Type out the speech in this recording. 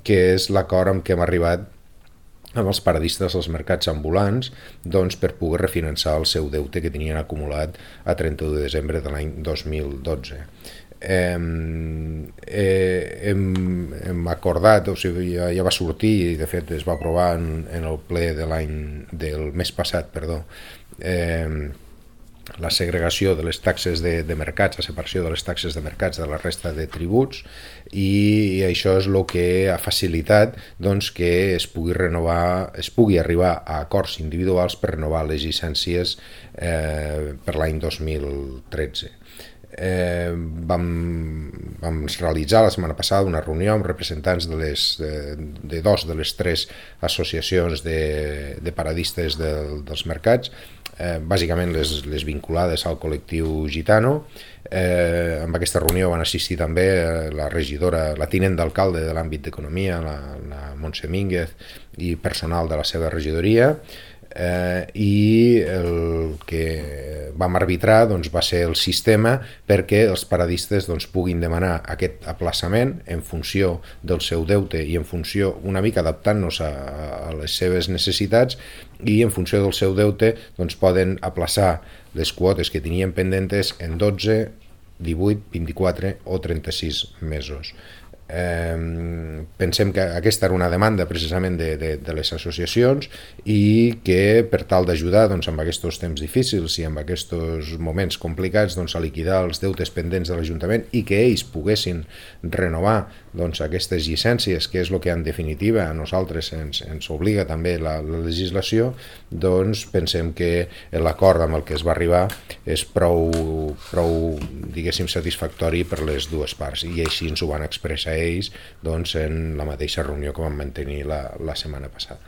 que és l'acord amb què hem arribat amb els paradistes dels mercats ambulants, doncs, per poder refinançar el seu deute que tenien acumulat a 31 de desembre de l'any 2012. Hem acordat, o sigui, ja va sortir i de fet es va aprovar en el ple del mes passat, la segregació de les taxes de mercats, la separació de les taxes de mercats de la resta de tributs, i això és el que ha facilitat doncs, que es pugui arribar a acords individuals per renovar les llicències per l'any 2013. Vam realitzar la setmana passada una reunió amb representants de dos de les tres associacions de paradistes dels mercats, bàsicament les vinculades al col·lectiu gitano. Amb aquesta reunió van assistir també la regidora, la tinent d'alcalde de l'àmbit d'economia, la Montse Mínguez, i personal de la seva regidoria, i el que vam arbitrar doncs, va ser el sistema perquè els paradistes doncs, puguin demanar aquest aplaçament en funció del seu deute i en funció, una mica adaptant-nos a les seves necessitats, i en funció del seu deute doncs, poden aplaçar les quotes que tenien pendentes en 12, 18, 24 o 36 mesos. Pensem que aquesta era una demanda precisament de les associacions, i que per tal d'ajudar doncs, amb aquests temps difícils i amb aquests moments complicats doncs, a liquidar els deutes pendents de l'Ajuntament i que ells poguessin renovar doncs, aquestes llicències, que és el que en definitiva a nosaltres ens obliga també la legislació, doncs pensem que l'acord amb el que es va arribar és prou diguéssim satisfactori per les dues parts, i així ens ho van expressar ells doncs, en la mateixa reunió que vam mantenir la setmana passada.